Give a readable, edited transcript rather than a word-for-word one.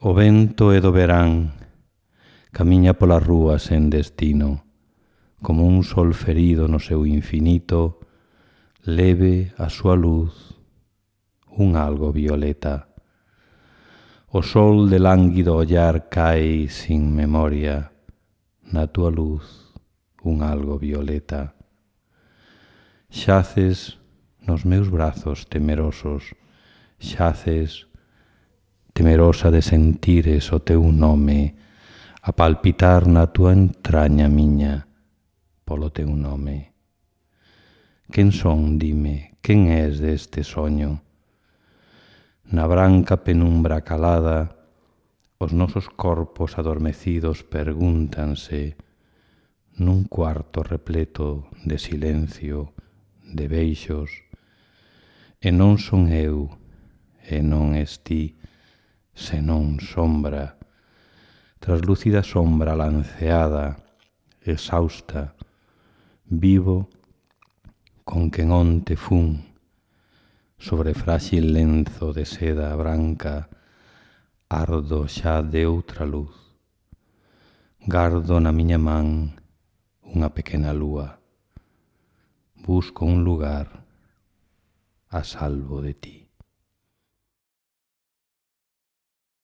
O vento é do verán, camiña polas rúas sen destino, como un sol ferido no seu infinito, leve a súa luz, un algo violeta. O sol de lánguido ollar cae sin memoria, na túa luz, un algo violeta. Xaces nos meus brazos temerosos, xaces temerosa de sentires o teu nome, a palpitar na túa entraña miña, polo teu nome. Quen son, dime, quen és deste soño? Na branca penumbra calada, os nosos corpos adormecidos pregúntanse, nun cuarto repleto de silencio, de beixos, e non son eu, e non es ti, senón sombra, traslúcida sombra lanceada, exhausta, vivo con quen onte fun, sobre frágil lenzo de seda branca, ardo xa de outra luz. Gardo na miña man unha pequena lúa, busco un lugar a salvo de ti.